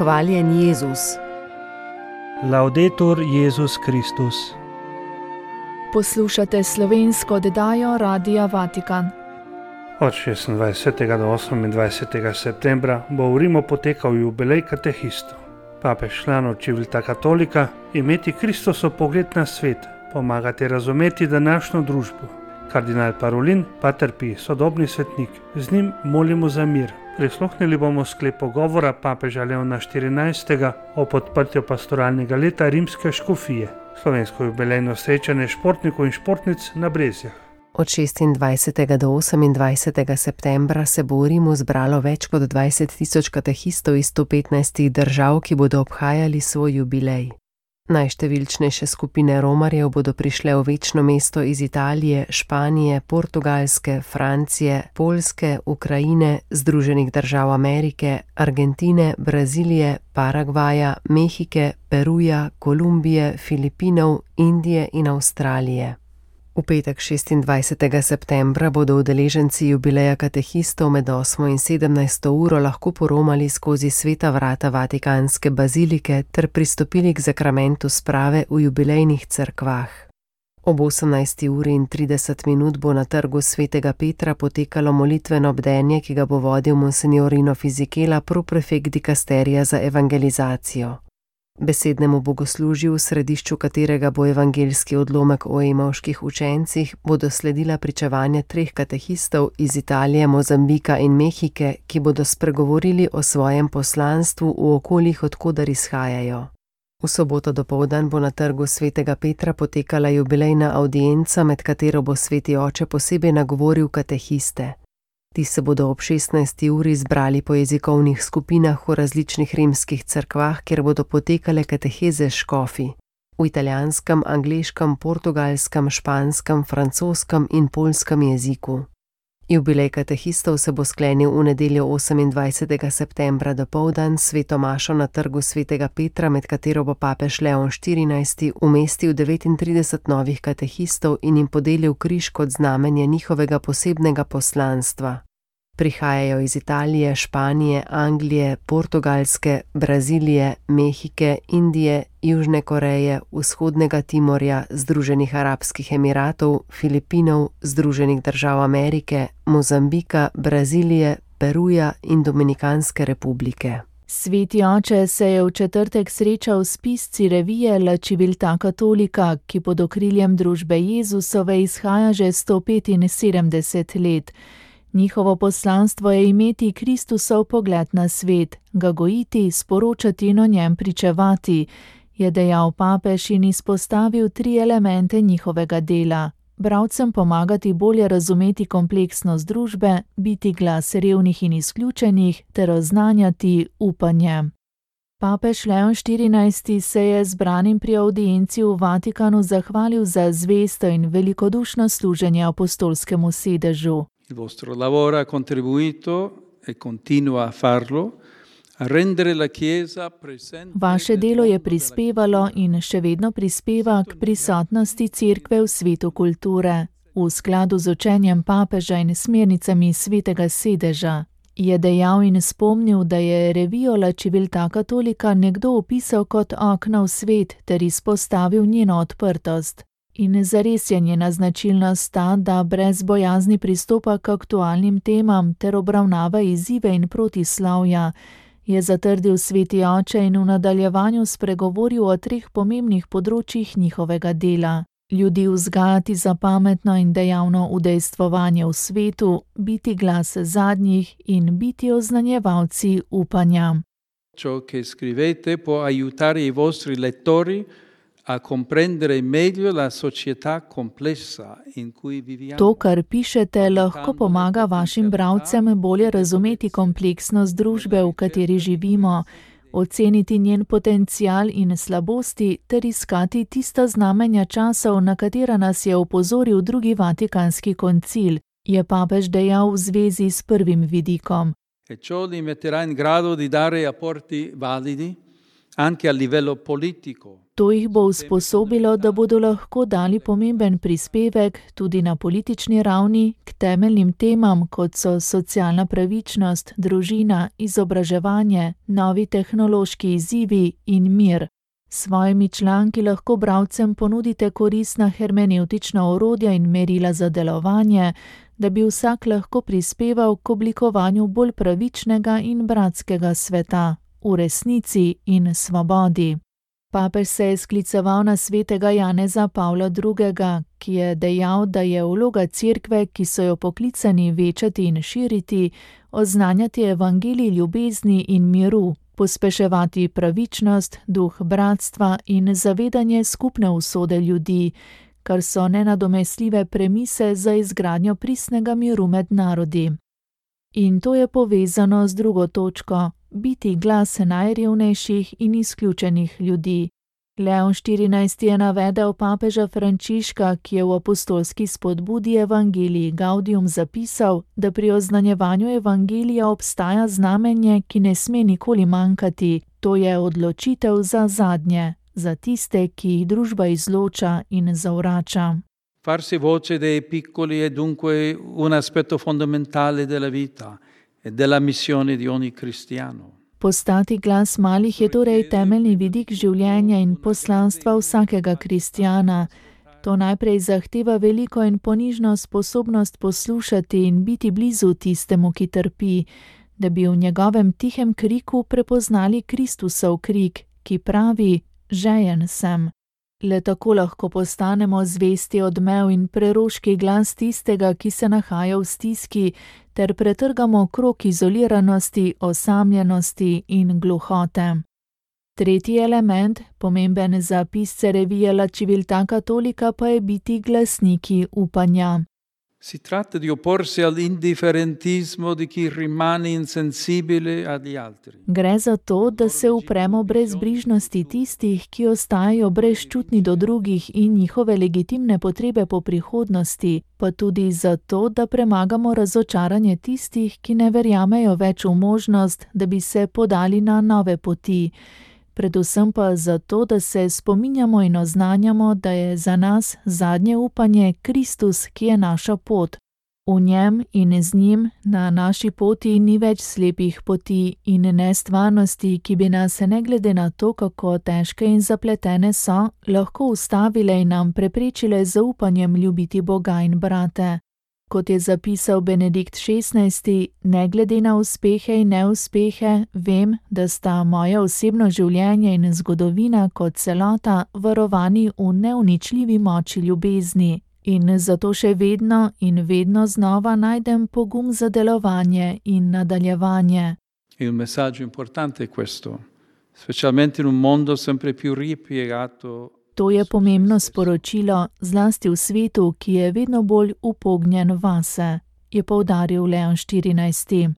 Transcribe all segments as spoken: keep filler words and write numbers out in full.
Hvaljen Jezus. Laudetur Jezus Kristus. Poslušate slovensko oddajo Radia Vatikan. Od šestindvajsetega do osemindvajsetega septembra bo v Rimu potekal jubilej katehistov. Papež članov Civiltà Cattolica imeti Kristusov pogled na svet, pomagati razumeti današnjo družbo. Kardinal Parolin pa trpi, sodobni svetnik, z njim molimo za mir. Prisluhnili bomo sklep pogovora papeža Leona štirinajstega o podprtju pastoralnega leta rimske škofije, slovensko jubilejno srečanje športnikov in športnic na Brezjah. Od šestindvajsetega do osemindvajsetega septembra se bo v Rimu zbralo več kot dvajset tisoč katehistov iz sto petnajstih držav, ki bodo obhajali svoj jubilej. Najštevilčnejše skupine romarjev bodo prišle v večno mesto iz Italije, Španije, Portugalske, Francije, Poljske, Ukrajine, Združenih držav Amerike, Argentine, Brazilije, Paragvaja, Mehike, Peruja, Kolumbije, Filipinov, Indije in Avstralije. V petek šestindvajsetega septembra bodo udeleženci jubileja katehistov med osmo in sedemnajsto uro lahko poromali skozi sveta vrata Vatikanske bazilike ter pristopili k zakramentu sprave v jubilejnih cerkvah. Ob osemnajsti uri in trideset minut bo na trgu svetega Petra potekalo molitveno bdenje, ki ga bo vodil monsignor Rino Fisichella, proprefekt dikasterija za evangelizacijo. Besednemu bogoslužju, v središču katerega bo evangeljski odlomek o emavških učencih, bodo sledila pričevanja treh katehistov iz Italije, Mozambika in Mehike, ki bodo spregovorili o svojem poslanstvu v okoljih, od koder izhajajo. V soboto dopoldan bo na trgu svetega Petra potekala jubilejna avdienca, med katero bo sveti oče posebej nagovoril katehiste. Ti se bodo ob šestnajsti uri zbrali po jezikovnih skupinah v različnih rimskih cerkvah, kjer bodo potekale kateheze škofi v italijanskem, angleškem, portugalskem, španskem, francoskem in poljskem jeziku. Jubilej katehistov se bo sklenil v nedeljo osemindvajsetega septembra dopoldan s sveto mašo na trgu svetega Petra, med katero bo papež Leon štirinajsti umestil devetintrideset novih katehistov in jim podelil križ kot znamenje njihovega posebnega poslanstva. Prihajajo iz Italije, Španije, Anglije, Portugalske, Brazilije, Mehike, Indije, Južne Koreje, Vzhodnega Timorja, Združenih arabskih emiratov, Filipinov, Združenih držav Amerike, Mozambika, Brazilije, Peruja in Dominikanske republike. Sveti oče se je v četrtek srečal s pisci revije La Civiltà Cattolica, ki pod okriljem družbe Jezusove izhaja že sto petinsedemdeset let. Njihovo poslanstvo je imeti Kristusov pogled na svet, ga gojiti, sporočati in o njem pričevati, je dejal papež in izpostavil tri elemente njihovega dela: bralcem pomagati bolje razumeti kompleksnost družbe, biti glas revnih in izključenih ter oznanjati upanje. Papež Leon štirinajsti se je zbranim pri avdienci v Vatikanu zahvalil za zvesto in velikodušno služenje apostolskemu sedežu. Il vostro lavoro ha contribuito e continua a farlo a rendere la Chiesa presente. Vaše delo je prispevalo in še vedno prispeva k prisotnosti Cerkve v svetu kulture, v skladu z učenjem papeža in smernicami svetega sedeža. Je dejal in spomnil, da je revijo La Civiltà Cattolica nekdo opisal kot okno v svet ter izpostavil njeno odprtost. In zares je njena značilnost ta, da brez bojazni pristopa k aktualnim temam ter obravnava izzive in protislavja, je zatrdil sveti oče in v nadaljevanju spregovoril o treh pomembnih področjih njihovega dela: ljudi vzgajati za pametno in dejavno udejstvovanje v svetu, biti glas zadnjih in biti oznanjevalci upanja. Ciò che scrivete può aiutare i vostri lettori a comprendere meglio la società complessa in cui viviamo. To, kar pišete, lahko pomaga vašim bralcem bolje razumeti kompleksnost družbe, v kateri živimo, oceniti njen potencial in slabosti ter iskati tista znamenja časov, na katera nas je opozoril drugi Vatikanski koncil, je papež dejal v zvezi s prvim vidikom. E ciò li metterà in grado di dare apporti validi anche a livello politico. To jih bo usposobilo, da bodo lahko dali pomemben prispevek tudi na politični ravni k temeljnim temam, kot so socialna pravičnost, družina, izobraževanje, novi tehnološki izzivi in mir. S svojimi članki lahko bralcem ponudite koristna hermenevtična orodja in merila za delovanje, da bi vsak lahko prispeval k oblikovanju bolj pravičnega in bratskega sveta, v resnici in svobodi. Papež se je skliceval na svetega Janeza Pavla drugega., ki je dejal, da je vloga cerkve, ki so jo poklicani večati in širiti, oznanjati evangelij ljubezni in miru, pospeševati pravičnost, duh bratstva in zavedanje skupne usode ljudi, kar so nenadomestljive premise za izgradnjo pristnega miru med narodi. In to je povezano z drugo točko, biti glas najrevnejših in izključenih ljudi. Leon štirinajsti je navedel papeža Frančiška, ki je v apostolski spodbudi Evangelii Gaudium zapisal, da pri oznanjevanju evangelija obstaja znamenje, ki ne sme nikoli manjkati, to je odločitev za zadnje, za tiste, ki jih družba izloča in zavrača. Farsi voce dei piccoli è dunque un aspetto fondamentale della vita e della missione di ogni cristiano. Postati glas malih je torej temeljni vidik življenja in poslanstva vsakega kristjana. To najprej zahteva veliko in ponižno sposobnost poslušati in biti blizu tistemu, ki trpi, da bi v njegovem tihem kriku prepoznali Kristusov krik, ki pravi: žejen sem. Le tako lahko postanemo zvesti odmev in preroški glas tistega, ki se nahaja v stiski, ter pretrgamo krog izoliranosti, osamljenosti in gluhote. Tretji element, pomemben za pisce revije La Civiltà Cattolica, pa je biti glasniki upanja. Si tratta di opporsi all'indifferentismo di chi rimane insensibile agli altri. Gre za to, da se upremo brezbrižnosti tistih, ki ostajajo brezčutni do drugih in njihove legitimne potrebe po prihodnosti, pa tudi za to, da premagamo razočaranje tistih, ki ne verjamejo več v možnost, da bi se podali na nove poti. Predvsem pa zato, da se spominjamo in oznanjamo, da je za nas zadnje upanje Kristus, ki je naša pot. V njem in z njim na naši poti ni več slepih poti in nestvarnosti, ki bi nas, ne glede na to, kako težke in zapletene so, lahko ustavile in nam preprečile z upanjem ljubiti Boga in brate. Kot je zapisal Benedikt šestnajsti, ne glede na uspehe in neuspehe, vem, da sta moje osebno življenje in zgodovina kot celota varovani v neuničljivi moči ljubezni in zato še vedno in vedno znova najdem pogum za delovanje in nadaljevanje. Il messaggio importante è questo, specialmente in un mondo sempre più ripiegato. To je pomembno sporočilo, zlasti v svetu, ki je vedno bolj upognjen vase, je poudaril Leon štirinajsti.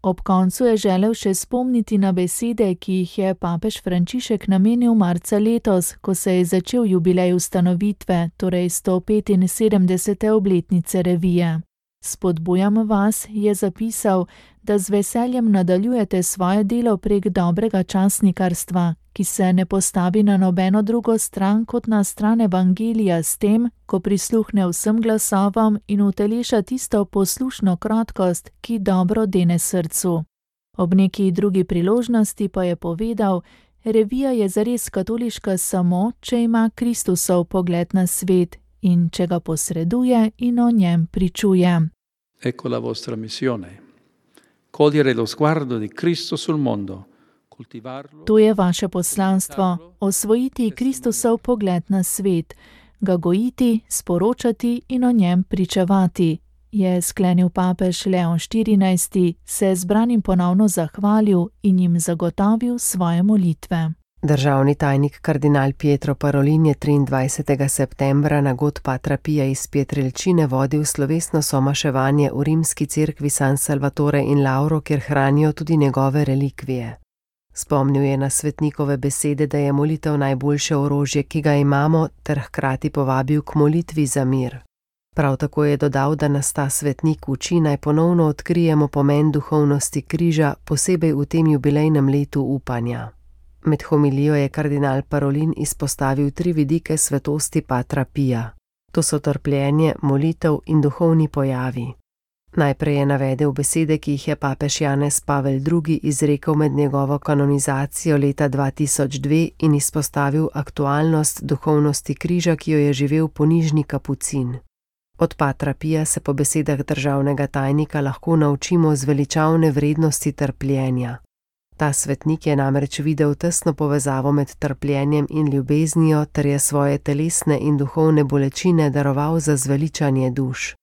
Ob koncu je želel še spomniti na besede, ki jih je papež Frančišek namenil marca letos, ko se je začel jubilej ustanovitve, torej sto petinsedemdesete obletnice revije. Spodbujam vas, je zapisal, da z veseljem nadaljujete svoje delo prek dobrega časnikarstva, ki se ne postavi na nobeno drugo stran kot na stran evangelija s tem, ko prisluhne vsem glasovom in uteleša tisto poslušno krotkost, ki dobro dene srcu. Ob neki drugi priložnosti pa je povedal, revija je zares katoliška samo, če ima Kristusov pogled na svet in če ga posreduje in o njem pričuje. Ecco la vostra missione. Cogliere lo sguardo di Cristo sul mondo. To je vaše poslanstvo, osvojiti Kristusov pogled na svet, ga gojiti, sporočati in o njem pričevati, je sklenil papež Leon štirinajsti, se zbranim ponovno zahvalil in jim zagotovil svoje molitve. Državni tajnik kardinal Pietro Parolin je triindvajsetega septembra na god Patra Pia iz Pietrelcine vodil slovesno somaševanje v rimski cerkvi San Salvatore in Lauro, kjer hranijo tudi njegove relikvije. Spomnil je na svetnikove besede, da je molitev najboljše orožje, ki ga imamo, ter hkrati povabil k molitvi za mir. Prav tako je dodal, da nas ta svetnik uči, naj ponovno odkrijemo pomen duhovnosti križa, posebej v tem jubilejnem letu upanja. Med homilijo je kardinal Parolin izpostavil tri vidike svetosti Patra Pija. To so trpljenje, molitev in duhovni pojavi. Najprej je navedel besede, ki jih je papež Janez Pavel drugi izrekel med njegovo kanonizacijo leta dva tisoč dve in izpostavil aktualnost duhovnosti križa, ki jo je živel ponižni kapucin. Od Patra Pija se po besedah državnega tajnika lahko naučimo zveličavne vrednosti trpljenja. Ta svetnik je namreč videl tesno povezavo med trpljenjem in ljubeznijo ter je svoje telesne in duhovne bolečine daroval za zveličanje duš.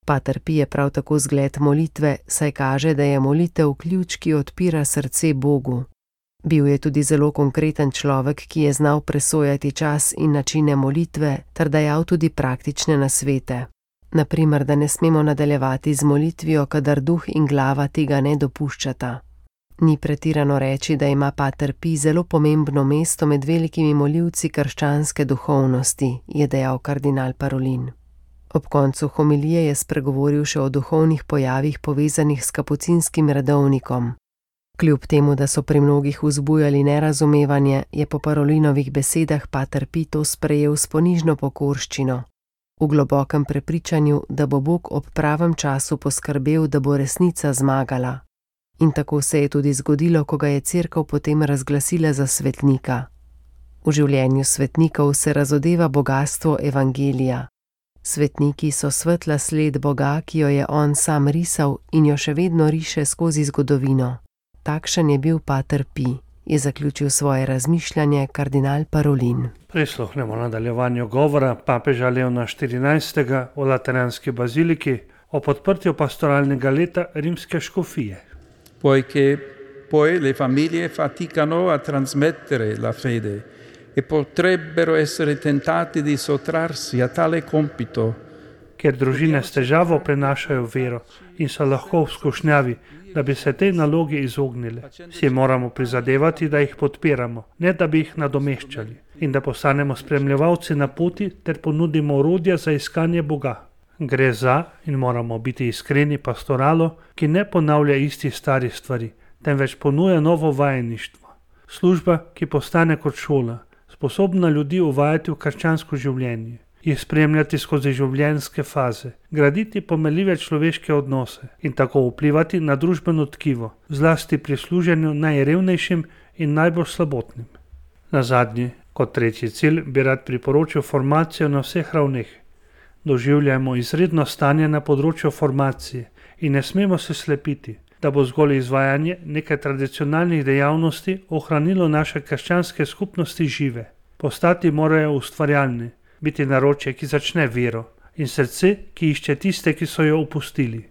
Pater Pij je prav tako zgled molitve, saj kaže, da je molitev ključ, ki odpira srce Bogu. Bil je tudi zelo konkreten človek, ki je znal presojati čas in načine molitve ter dajal tudi praktične nasvete. Naprimer, da ne smemo nadaljevati z molitvijo, kadar duh in glava tega ne dopuščata. Ni pretirano reči, da ima Pater Pij zelo pomembno mesto med velikimi molivci krščanske duhovnosti, je dejal kardinal Parolin. Ob koncu homilije je spregovoril še o duhovnih pojavih povezanih s kapucinskim redovnikom. Kljub temu, da so pri mnogih vzbujali nerazumevanje, je po Parolinovih besedah Pater Pij to sprejel s ponižno pokorščino, v globokem prepričanju, da bo Bog ob pravem času poskrbel, da bo resnica zmagala. In tako se je tudi zgodilo, ko ga je cerkev potem razglasila za svetnika. V življenju svetnikov se razodeva bogastvo evangelija. Svetniki so svetla sled Boga, ki jo je on sam risal in jo še vedno riše skozi zgodovino. Takšen je bil Pater Pij, je zaključil svoje razmišljanje kardinal Parolin. Prisluhnemo nadaljevanju govora papeža Leona štirinajstega v Lateranski baziliki o podprtju pastoralnega leta rimske škofije. Poiché poi le famiglie faticano a trasmettere la fede e potrebbero essere tentate di sottrarsi a tale compito. Ker družine s težavo prenašajo vero in so lahko v skušnjavi, da bi se tej nalogi izognile. Si moramo prizadevati, da jih podpiramo, ne da bi jih nadomeščali, in da postanemo spremljevalci na poti ter ponudimo orodja za iskanje Boga. Gre za, in moramo biti iskreni, pastoralo, ki ne ponavlja istih starih stvari, temveč ponuja novo vajeništvo. Služba, ki postane kot šola, sposobna ljudi uvajati v krščansko življenje, jih spremljati skozi življenjske faze, graditi pomenljive človeške odnose in tako vplivati na družbeno tkivo, zlasti pri služenju najrevnejšim in najbolj slabotnim. Na zadnji, kot tretji cilj, bi rad priporočil formacijo na vseh ravneh. Doživljamo izredno stanje na področju formacije in ne smemo se slepiti, da bo zgolj izvajanje nekaj tradicionalnih dejavnosti ohranilo naše krščanske skupnosti žive. Postati morajo ustvarjalni, biti naročje, ki začne vero, in srce, ki išče tiste, ki so jo opustili.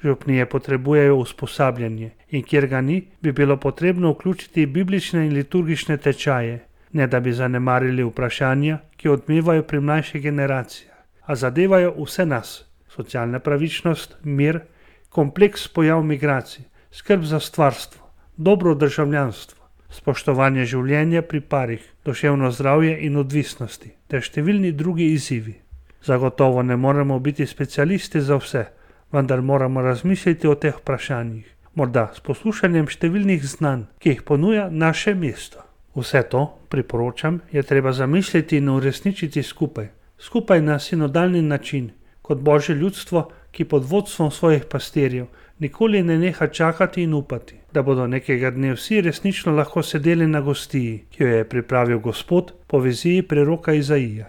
Župnije potrebujejo usposabljanje in kjer ga ni, bi bilo potrebno vključiti biblične in liturgične tečaje, ne da bi zanemarili vprašanja, ki odmevajo pri mlajših generacijah, a zadevajo vse nas, socialna pravičnost, mir, kompleks pojav migracij, skrb za stvarstvo, dobro državljanstvo, spoštovanje življenja pri parih, duševno zdravje in odvisnosti, ter številni drugi izzivi. Zagotovo ne moremo biti specialisti za vse, vendar moramo razmisliti o teh vprašanjih, morda s poslušanjem številnih znanj, ki jih ponuja naše mesto. Vse to, priporočam, je treba zamisliti in uresničiti skupaj, skupaj na sinodalni način, kot Božje ljudstvo, ki pod vodstvom svojih pastirjev nikoli ne neha čakati in upati, da bodo nekega dne vsi resnično lahko sedeli na gostiji, ki jo je pripravil Gospod po viziji preroka Izaija.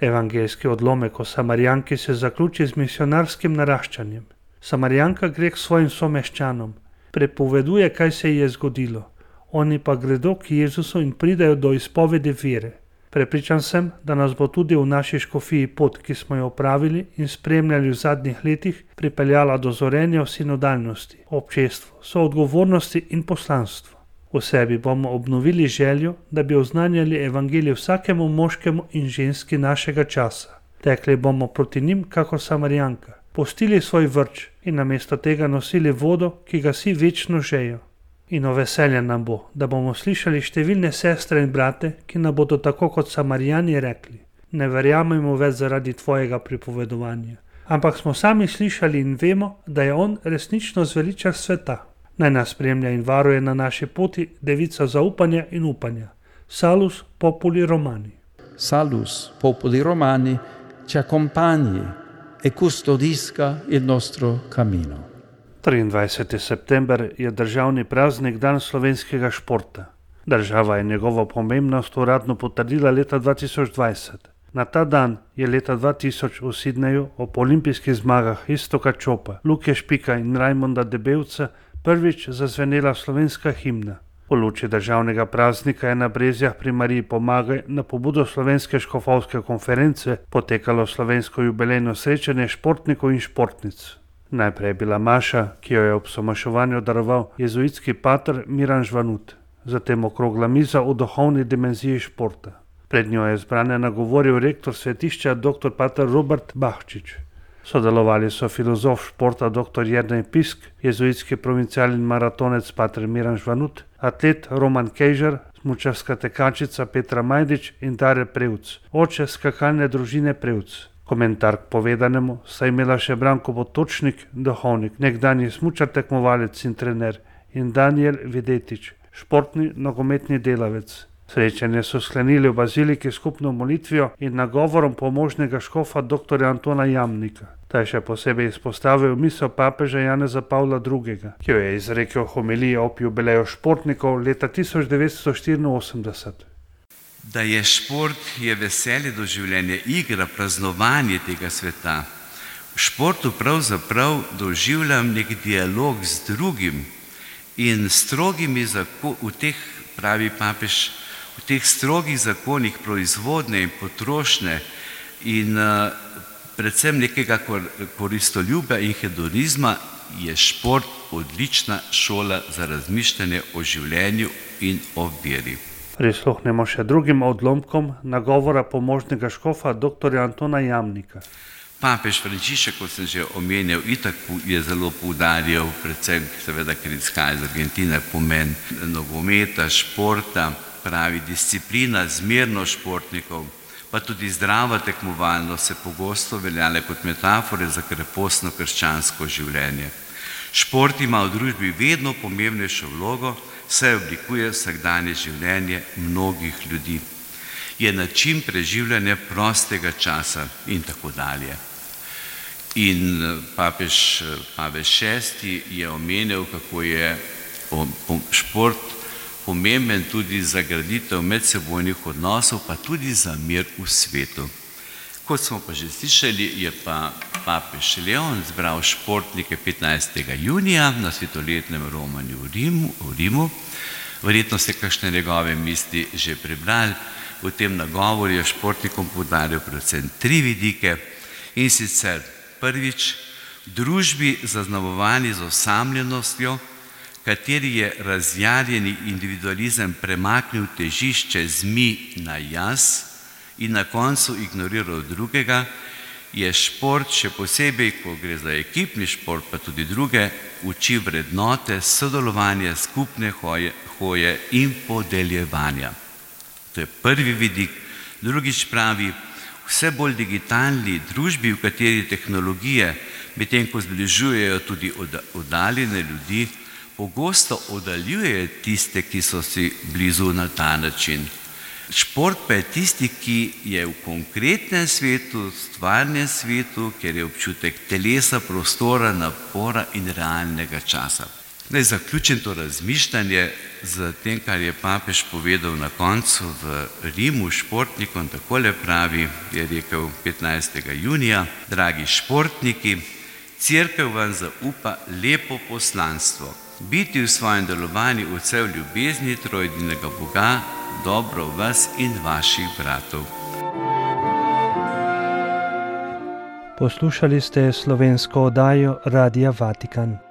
Evangeljski odlomek o Samarijanki se zaključi z misionarskim naraščanjem. Samarijanka gre k svojim someščanom, prepoveduje, kaj se ji je zgodilo, oni pa gredo k Jezusu in pridejo do izpovedi vere. Prepričan sem, da nas bo tudi v naši škofiji pot, ki smo jo opravili in spremljali v zadnjih letih, pripeljala do zorenja v sinodalnosti, občestvu, soodgovornosti in poslanstvu. V sebi bomo obnovili željo, da bi oznanjali evangelij vsakemu moškemu in ženski našega časa. Tekli bomo proti njim kakor Samarijanka, pustili svoj vrč in namesto tega nosili vodo, ki ga si večno žejo. In o veselje nam bo, da bomo slišali številne sestre in brate, ki nam bodo tako kot Samarijani rekli: ne verjamemo več zaradi tvojega pripovedovanja, ampak smo sami slišali in vemo, da je on resnično zveličar sveta. Naj nas spremlja in varuje na naši poti devica zaupanja in upanja, Salus populi Romani. Salus popoli Romani ci accompagni e custodisca il nostro cammino. triindvajseti september je državni praznik dan slovenskega športa. Država je njegovo pomembnost uradno potrdila leta dva tisoč dvajset. Na ta dan je leta dva tisoč v Sidneju ob olimpijskih zmagah Iztoka Čopa, Luke Špika in Rajmonda Debevca prvič zazvenela slovenska himna. Po luči državnega praznika je na Brezjah pri Mariji Pomagaj na pobudo Slovenske škofovske konference potekalo slovensko jubilejno srečanje športnikov in športnic. Najprej je bila maša, ki jo je ob somaševanju daroval jezuitski pater Miran Žvanut, zatem okrogla miza o duhovni dimenziji športa. Pred njo je zbrane nagovoril rektor svetišča dr. pater Robert Bahčič. Sodelovali so filozof športa dr. Jernej Pisk, jezuitski provincial in maratonec pater Miran Žvanut, atlet Roman Kejžar, smučarska tekačica Petra Majdič in Dare Prevc, oče skakalne družine Prevc. Komentar k povedanemu sta imela še Branko Potočnik, duhovnik, nekdanji smučar tekmovalec in trener, in Danijel Videtič, športni nogometni delavec. Srečanje so sklenili v baziliki skupno molitvijo in nagovorom pomožnega škofa dr. Antona Jamnika. Ta je še posebej izpostavil misel papeža Janeza Pavla drugega, ki jo je izrekel homiliji ob jubileju športnikov leta tisoč devetsto štiriinosemdeset. Da je šport, je veselje do življenja, igra, praznovanje tega sveta. V športu pravzaprav doživljam nek dialog z drugim in strogimi zakoni, v teh, pravi papež, v teh strogih zakonih proizvodne in potrošnje in uh, predvsem nekega kor, koristoljuba in hedonizma je šport odlična šola za razmišljanje o življenju in o veri. Prisluhnemo še drugim odlomkom nagovora pomožnega škofa dr. Antona Jamnika. Papež Frančišek, kot sem že omenil, itak je zelo poudarjal, predvsem seveda, ker izhaja iz Argentine, pomen nogometa, športa, pravi disciplina, zmernost športnikov, pa tudi zdrava tekmovalnost se pogosto veljale kot metafore za krepostno krščansko življenje. Šport ima v družbi vedno pomembnejšo vlogo, saj oblikuje vsakdanje življenje mnogih ljudi. Je način preživljanja prostega časa in tako dalje. In papež Pavel šesti je omenil, kako je šport pomemben tudi za graditev medsebojnih odnosov, pa tudi za mir v svetu. Kot smo pa že slišali, je pa papež Leon zbral športnike petnajstega junija na svetoletnem romanju v Rimu, v Rimu. Verjetno ste kakšne njegove misli že prebrali. V tem nagovoru je športnikom poudaril predvsem tri vidike, in sicer prvič, družbi zaznamovani z osamljenostjo, kateri je razjarjeni individualizem premaknil težišče z mi na jaz in na koncu ignoriral drugega, je šport, še posebej, ko gre za ekipni šport, pa tudi druge, uči vrednote, sodelovanja, skupne hoje, hoje in podeljevanja. To je prvi vidik. Drugič pravi, vse bolj digitalni družbi, v kateri tehnologije, medtem ko zbližujejo tudi oddaljene ljudi, pogosto oddaljujejo tiste, ki so si blizu na ta način. Šport pa je tisti, ki je v konkretnem svetu, stvarnem svetu, kjer je občutek telesa, prostora, napora in realnega časa. Naj zaključim to razmišljanje z tem, kar je papež povedal na koncu v Rimu športnikom. Takole pravi, je rekel petnajstega junija, dragi športniki, Cerkev vam zaupa lepo poslanstvo, biti v svojem delovanju odsev ljubezni trojedinega Boga, dobro vas in vaših bratov. Poslušali ste slovensko oddajo Radia Vatikan.